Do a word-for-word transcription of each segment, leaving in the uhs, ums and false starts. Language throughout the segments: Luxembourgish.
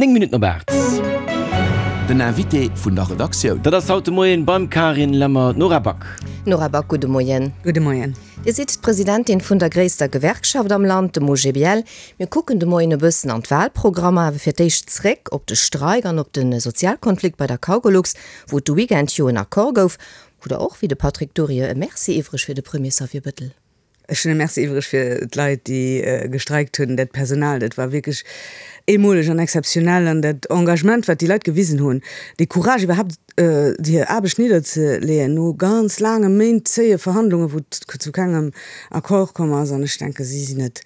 Néng Minutten op aacht. Den Invité vun der Redaktioun. Dat ass haut de Moien beim Carine Lemmer d'Nora Back. Nora Back, gudde Moien. Gudde Moien. Dir sidd d'Presidentin vun der gréisster Gewerkschaft am Land, dem OGBL. Mir kucken de Moien e bëssen an d'Wahlprogrammer, awer fir d'éischt zréck op de Streik an op de Sozialkonflikt bei der Cargolux, wou et de Weekend jo en Accord gouf. Hutt Der och, wéi de Patrick Dury, e Merci iwwreg fir de Premier Xavier Bettel? Ech hunn e Merci iwwreg fir d'Leit, déi gestreikt hunn, dat Personal. Dat war wierklech eemoleg an exzeptionell. An dat Engagement, wat déi Leit gewisen hunn, dee Courage iwwerhaapt, hir Aarbecht nidderzeleeën no ganz laange Méint zéie Verhandlungen, wou et zu kengem Accord komm ass. An ech denken, si sinn et,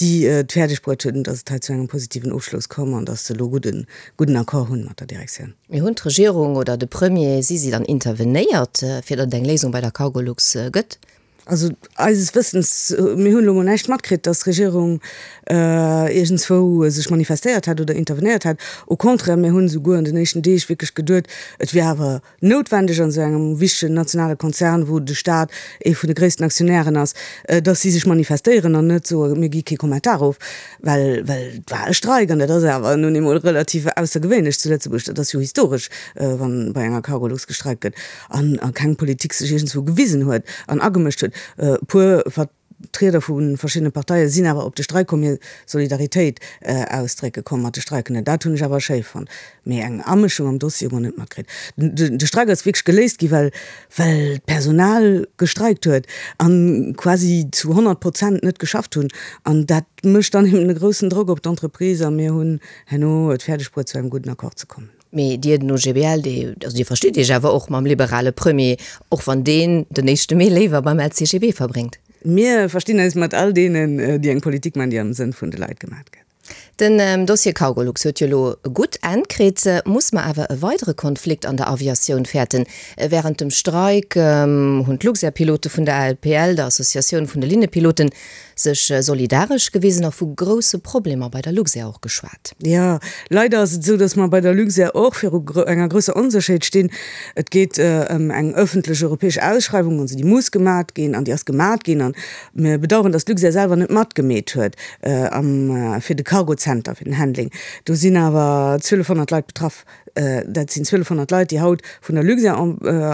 déi et fäerdeg bruet hunn, datt et hei zu engem positiven Ofschloss komm an datt se elo gudden, gudden Accord hunn mat der Direktioun. Mee hunn d'Regierung oder de Premier, si si dann intervenéiert, fir datt et eng Léisung bei der Cargolux gëtt? Also eises Wëssens, mir hunn elo mol näischt matkritt, datt d'Regierung iergendswou sech manifestéiert hätt oder intervenéiert hätt. Au contraire, mir hunn esouguer an den éischten Deeg wierklech geduet, et wier awer noutwendeg an esou engem wichtegen nationale Konzern, wou de Staat ee vun de gréissten Aktionären ass, datt si sech manifestéieren an net soen, mir gi kee Kommentar of, well well et war e Streik an dat ass awer nun eemol relativ aussergewéinlech zu Lëtzebuerg. Dat ass jo historesch, wa bei enger Cargolux gestreikt gëtt an keng Politik sech iergendswou gewisen huet an agemëscht huet. E puer Vertrieder vu verschiddene Parteie sinn awer op de Streik komm, hir Solidaritéit ausdrécke komm mat de Streikenden. Dat hunn ech awer schéi fonnt. Mee eng Amëschung am Dossier hu mer net matkritt. De Streik ass wierklech geléist gi well well d'Personal gestreikt huet a quasi zu honnert Prozent net geschafft hunn. An dat mécht dann eben e groussen Drock op d'Entreprise a mir hunn herno et fäerdeg bruet zu engem gudden Accord ze kommen. Mee Dir, den OGBL, dee, also Dir verstitt Iech awer och mam liberale Premier, och wann deen den éischte Mee léiwer beim LCGB verbréngt? Mir verstinn eis mat all deenen, déi eng Politik maachen, déi am Sënn vun de Leit gemat gëtt. Den Dossier Cargolux huet jo elo e gutt Enn kritt. Muss mer awer e weidere Konflikt an der Aviatioun fäerten? Wärend dem Streik hunn d'Luxair-Pilote vun der ALPL, der Associatioun vun de Linnepiloten, sech solidaresch gewisen a vu grousse Problemer bei der Luxair och geschwat. Jo, leider ass et esou, datt mer bei der Luxair och viru enger grousser Onsécherheet stinn. Et geet ëm eng ëffentlech europäesch Ausschreiwung, also déi muss gemat ginn an déi ass gemat ginn. A mir bedauern, datt d'Luxair selwer net matgemeet huet am fir de Cargozenter, fir den Handling. Do sinn awer zwielefhonnert Leit betraff. Dat sinn zwielefhonnert Leit, déi haut vun der Luxair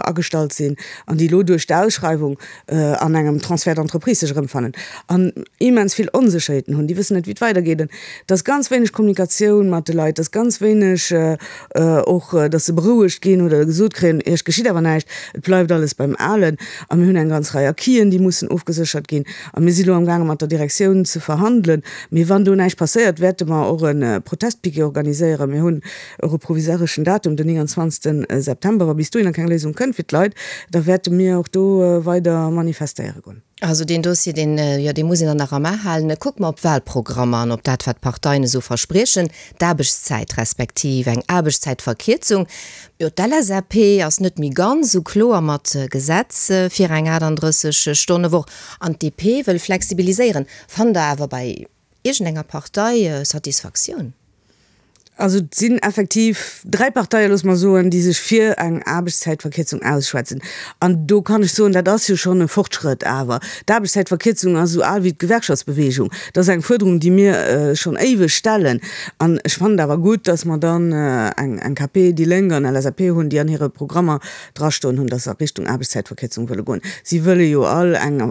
agestallt sinn an déi elo duerch d'Ausschreiwung an engem Transfert d'entreprise sech erëmfannen an immens vill Onsécherheeten hunn. Déi wëssen net, wéi et weidergeet. An et ass ganz wéineg Kommunikatioun mat de Leit, et ass ganz wéineg och, datt se berouegt ginn oder gesot kréien, Iech geschitt awer näischt, et bleift alles beim Alen. A mir hunn eng ganz Rei Acquisen, déi mussen ofgeséchert ginn. A mir si elo amgaange mat der Direktioun ze verhandelen. Mee wann do näischt passéiert, wäerte mer och e Protestpiquet organiséieren. Mir hunn och e provisoreschen Datum, den nénganzwanzegsten September. Wa bis dohinner keng Léisung kënnt fir d'Leit, da wäerte mir och do weider manifestéiere goen. Also deen Dossier, deen, jo, dee muss een dann nach am A halen. Kucke mer op d'Wahlprogrammer an op dat, wat d'Parteien esou verspriechen, d'Aarbechtszäit respektiv eng Aarbechtszäitverkierzung. Jo, d'LSAP ass net méi ganz esou kloer mat Gesetz fir eng achtandrësseg Stonne-Woch an d'DP wëll flexibiliséieren. Fannt Der awer bei iergendenger Partei Satisfaktioun? Also et sinn effektiv dräi Parteien, loosse mer soen, déi sech fir eng Aarbechtszäitverkierzung ausschwätzen. An do kann ech soen, dat ass jo schonn e Fortschrëtt. Awer d'Aarbechtszäitverkierzung ass esou al wéi d'Gewerkschaftsbewegung. Dat ass eng Fuerderung, déi mir schonn éiweg stellen. An ech fannen et awer gutt, datt mer dann eng eng K P, déi Lénk an L S A P hunn, déi an hire Programmer drastoen hunn, datt se a Richtung Aarbechtszäitverkierzung wëlle goen. Si wëlle jo all eng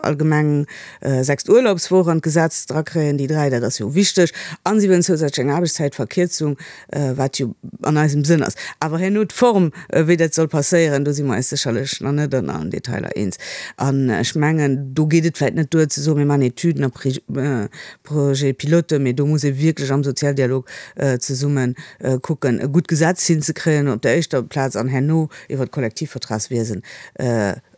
allgemeng sechst Urlaubswoch an d'Gesetz drakréien, déi dräi, dat ass jo wichteg. A si wëllen zousätzlech eng Aarbechtszäitverkierzung, wat jo an eisem Sënn ass. Awer herno d'Form, wéi dat soll passéieren, do si mer eis sécherlech nach net an allen Detailer eens. An ech mengen, do geet et vläicht net duer ze soen, mir maachen Etüden a Projets pilotes, mee do muss ee wierklech am Sozialdialog zesumme kucken, e gutt Gesetz hinzekréien op der éischter Plaz an herno iwwert d'Kollektivvertragswiesen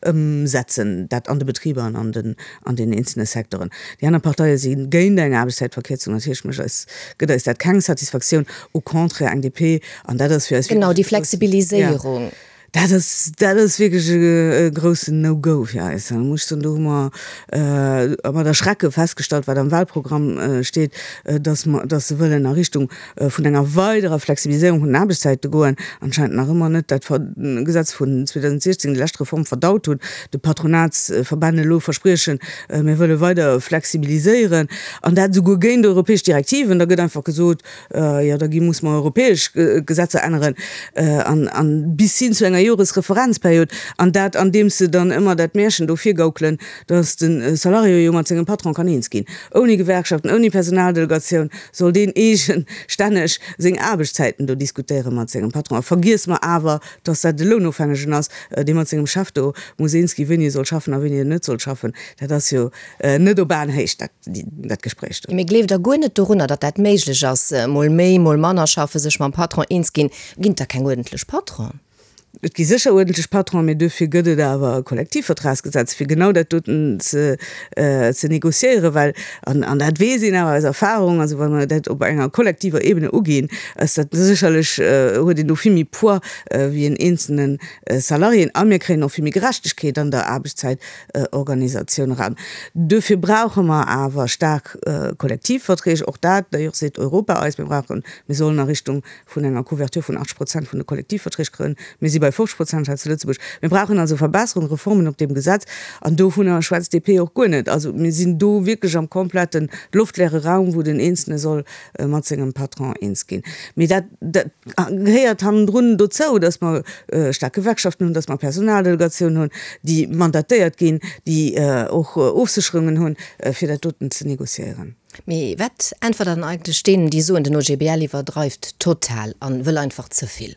ëmsetzen, dat an de Betriber an an den an den eenzelne Secteuren. Déi aner Parteie si géint eng Aarbechtszäitverkierzung. Natierlech mécht eis, gëtt eis dat keng Satisfaktioun, au contraire, eng D P, an dat ass fir eis Genau, déi wierklech e groussen, ja. Flexibiliséierung. Dat ass, dat ass wierklech e groussen No-Go fir eis. Da muss ech soen, do hu mer mat Erschrecke festgestallt, wat am Wahlprogramm steet, dass mer, dass se wëllen a Richtung vun enger weiderer Flexibiliséierung vun den Aarbechtszäite goen, anscheinend nach ëmmer net dat Gesetz vun zweedausendsiechzehn, déi lescht Reform, verdaut hunn, de Patronatsverbänn elo verspriechen, mir wëlle weider flexibiliséieren, an dat esouguer géint europäesch Direktiven. Da gëtt einfach gesot, jo da gi muss mer europäesch Gesetzer änneren an, an bis hin zu enger Joresreferenzperiod, an dat andeems se dann ëmmer dat Märchen do virgaukelen, datt de Salarié jo mat sengem Patron kann eens ginn. Ouni Gewerkschaften, ouni Personaldelegatioun soll deen eegestänneg seng Aarbechtszäiten do diskutéiere mat sengem Patron. A vergiesse mer awer, datt dat e Lounofhängegen ass, dee mat sengem Chef do muss eens ginn, wéini e soll schaffen a wéini en net soll schaffen. Dat ass jo net op Aenhéicht, dat, dat Gespréich do. Mee gleeft Der guer net dorunner, datt dat méiglech ass, mol méi, mol manner schaffen, sech mam Patron eens ginn? Ginn et da keng uerdentlech Patronen? Et gi sécher uerdentlech Patronen, mee duerfir gëtt et awer e Kollektivvertragsgesetz, fir genau dat doten ze, ze négociéieren, well, an, an dat weess een awer aus Erfahrung, also wa mer dat op enger kollektiver Ebene uginn, ass dat sécherlech, huet een do vill méi Poids wéi en eenzelne Salarié a mir kréien och vill méi Gerechtegkeet an der Aarbechtszäitorganisatioun eran. Duerfir brauche mer awer staark Kollektivverträg. Och dat, d'ailleurs, seet Europa eis, mir brauchen, mir sollen a Richtung vun enger Couverture vun achtzeg Prozent vun de Kollektivverträg kréien. Mir si bei fofzeg Prozent hei zu Lëtzebuerg. Mir brauchen also Verbesserungen, Reformen op deem Gesetz, an dovunner schwätzt d'D P och guer net. Also mir sinn do wierklech am kompletten loftleere Raum, wou den Eenzelne soll mat sengem Patron eens ginn. Mee dat, dat gehéiert hannendrun dozou, datt mer staark Gewerkschaften hunn, datt mer Personaldelegatioun hunn, déi mandatéiert ginn, déi och Ofsécherungen hunn, fir dat doten ze négociéieren. Mee wat äntwert Der dann eigentlech deenen, déi soen, den O G B L iwwerdreift total an wëll einfach ze vill?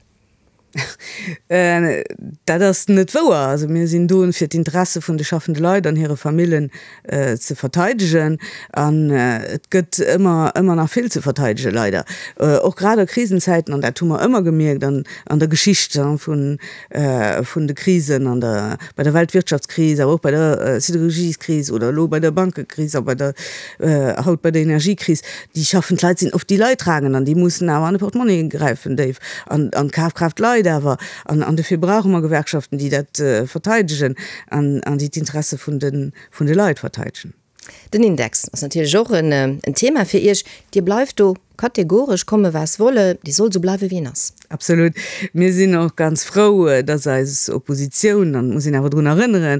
Dat ass net wouer. Also mir sinn do fir d'Interesse vun de schaffende Leit an hire Famillen ze verteidegen. An et gëtt ëmmer, ëmmer nach vill ze verteidegen, leider. Och grad a Krisenzäiten, an dat hu mer ëmmer gemierkt an an der Geschicht vun vun de Krisen, an der bei der Weltwirtschaftskris, awer och bei der Siderurgieskris oder elo bei der Bankekris a bei der haut bei der Energiekris, déi schaffend Leit sinn oft déi Leidtragend an déi mussen awer an de Portmonni gräifen déif an an d'Kafkraaft leit awer. An an dofir brauche mer Gewerkschaften, déi dat verteidegen an an déi d'Interesse vun de vun de Leit verteidegen. Den Index ass natierlech och en en Thema fir Iech. Dir bleift do kategoresch, komme was wolle, dee soll esou bleiwe wéi en ass. Absolut. Mir sinn och ganz frou, dass eis Oppositioun, an et muss een awer drun erënneren,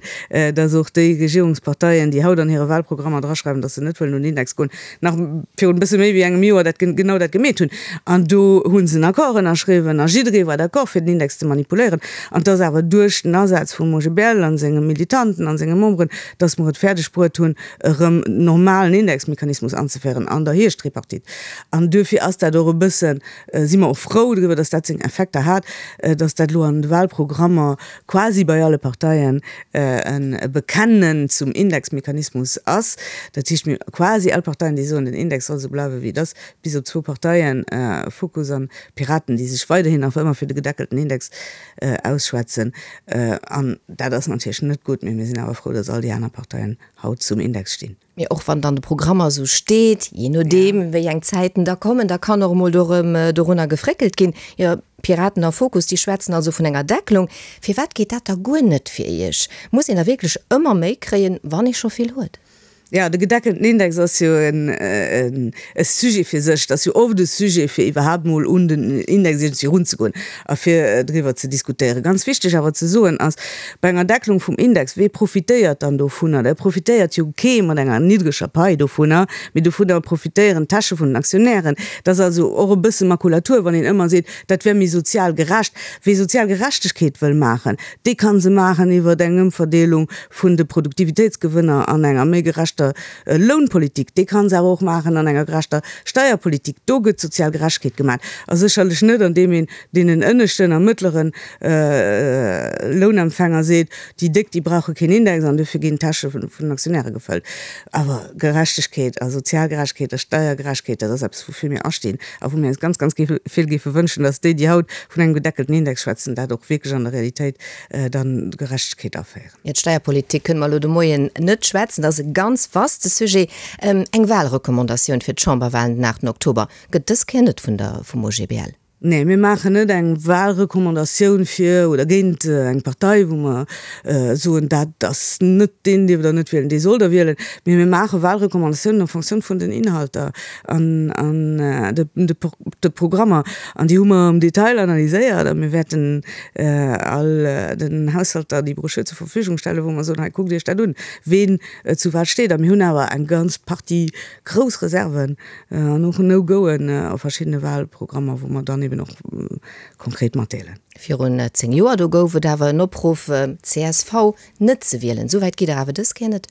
dass och déi Regierungsparteien, déi haut an hire Wahlprogrammer draschreiwen, dass se net wëllen un den Index goen, nach virun e bësse méi wéi engem Joer dat genau dat gemeet hunn. An do hu se en Accord ënnerschriwwen a jidderee war d'accord, fir den Index ze manipuléieren. An et ass awer duerch den Asaz vum O G B L a senge Militanten a senge Memberen, dass mer et fäerdeg bruet hunn, erëm normalen Indexmechanismus anzeféieren an der Hierschttripartite. An duerfir ass dat och e bëssen, si mer och frou driwwer, dass dat seng Effekter hat, dass dat elo an de Wahlprogrammer quasi bei alle Parteien e Bekennen zum Indexmechanismus ass. Dat heescht, mir quasi all Parteien, déi soen, den Index soll esou bleiwen, wéi et ass, bis op zwou Parteien, Fokus an Piraten, déi sech weiderhin nach ëmmer fir de gedeckelten Index ausschwätzen. An dat ass natierlech net gutt, mee mir sinn awer frou, dass all déi aner Parteien haut zum Index stinn. Mee och wann dann de Programmer esou steet, jee nodeem wéi eng Zäiten da kommen, da kann och emol do erëm dorunner gefréckelt ginn. Jo, Piraten a Fokus, déi schwätzen also vun enger Deckelung. Firwat geet dat da guer net fir Iech? Muss een da wierklech ëmmer méi kréien, wann ee scho vill huet? Jo, de gedeckelten Index ass jo en e Sujet fir sech. Et ass jo oft e Sujet, fir iwwerhaapt mol un den Index iergendwéi erunzegoen a fir driwwer ze diskutéieren. Ganz wichteg awer ze soen ass, bei enger Deckelung vum Index, wee profitéiert dann dovunner? Da profitéiert jo kee mat enger niddreger Pai dovunner, mee dovunner profitéieren d'Täsche vun den Aktionären. Et ass also och e bësse Makulatur, wann een ëmmer seet, dat wär méi sozial gerecht. Wee sozial Gerechtegkeet wëll maachen, dee ka se maachen iwwer eng Ëmverdeelung vun de Produktivitéitsgewënner an enger méi gerechter Lounpolitik. Dee ka se awer och maachen an enger gerechter Steierpolitik. Do gëtt sozial Gerechtegkeet gemaach a sécherlech net, andeem een deenen ënneschten a mëttlere Lounempfänger seet, déi Déck, déi brauche keen Index an dofir ginn d'Täsche vun den Aktionäre gefëllt. Awer Gerechtegkeet a sozial Gerechtegkeet a Steiergerechtegkeet, dat ass eppes, woufir mir astinn a wou mir eis ganz, ganz vill géife wënschen, dass déi, déi haut vun engem gedeckelten Index schwätzen, dat och wierklech an der Realitéit dann Gerechtegkeet aféieren. Jo, d'Steierpolitik kënne mer elo de Moien net schwätzen, dat ass e ganz vaste Sujet. Eng Wahlrecommandatioun fir d'Chamberwahlen den aachten Oktober gëtt dës Kéier net vun der vum O G B L. Nee, mir maachen net eng Wahlrecommandatioun fir oder géint eng Partei, wou mer soen, dat ass net deen dierft Der net wielen, dee sollt Der wielen. Mee mir maache Wahlrecommandatiounen en fonction vun den Inhalter an de Programmer. An déi hu mer am Detail analyséiert a mir wäerten all den Haushalter déi Broschür zur Verfügung stellen, wou mer soen, hei kuckt Iech dat un, ween zu wat steet. A mir hunn awer eng ganz Partie grouss Reserven an och No-Goen a verschiddene Wahlprogrammer, wou mer dann eben och konkret matdeelen. Virun zéng Joer, do gouf et awer en Opruff, csv net ze wielen. Esou wäit gitt Der awer dës Kéier net?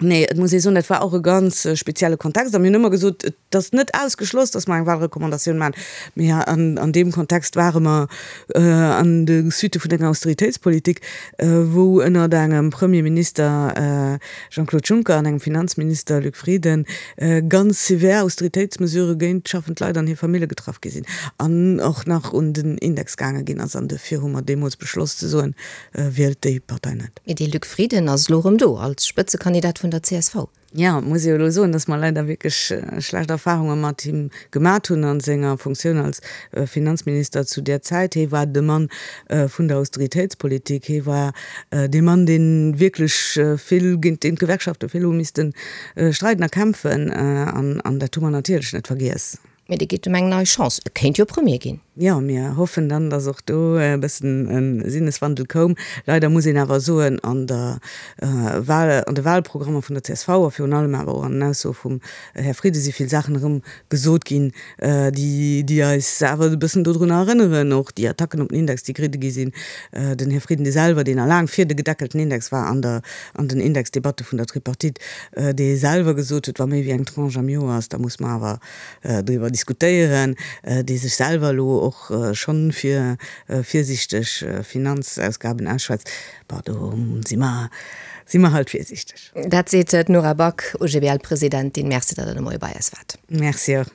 Nee, et muss ee soen, dat war och e ganz spezielle Kontext. A mir hunn ëmmer gesot, et ass net ausgeschloss, datt mer eng Wahlrecommandatioun maachen. Mee an deem Kontext ware mer an de Suitte vun enger Austeritéitspolitik, wou ënnert engem Premierminister Jean-Claude Juncker an engem Finanzminister Luc Frieden ganz sévère Austeritéitsmesurë géint schaffend Leit an hir Famille getraff gi sinn an och nach un den Index gaange ginn ass. An dofir hu mer deemools beschloss ze soen, Wielt déi Partei net. Mee dee Luc Frieden ass elo erëm do als Spëtzekandidat vun der csv. Jo, muss ee jo elo soen, dass mer leider wierklech schlecht Erfahrunge mat him gemat hunn a senger Funktioun als Finanzminister zu där Zäit. Hee war de Mann vun der Austeritéitspolitik. Hee war dee Mann, dee wierklech vill, géint deen d'Gewerkschafte vill hu misste streiden a kämpfen. An dat hu mer natierlech net vergiess. Mee dir gitt em eng nei Chance, e kéint jo Premier ginn. Jo, mir hoffen dann, datt och do e bëssen e Sinneswandel koum. Leider muss een awer soen, an der Wahl, an de Wahlprogrammer vun der csv a virun allem awer och an den Aussoe vum Här Frieden si vill Saachen erëm gesot ginn, déi, déi eis awer e bëssen dodrunner erënneren, och déi Attacken op den Index, déi geridde gi sinn. Den Här Frieden, dee selwer, deen a laang fir de gedeckelten Index war an der, an den Indexdebatte vun der Tripartite, dee selwer gesot huet, wa méi wéi eng Tranche am Joer ass, da muss mer awer driwwer diskutéieren, dee sech selwer elo och schonn fir virsiichteg Finanzausgaben ausschwätzt, bon, do si mer, si mer halt virsiichteg. Dat seet d'Nora Back, OGBL-Presidentin. Merci, datt Der de Moie bei eis waart. Merci och.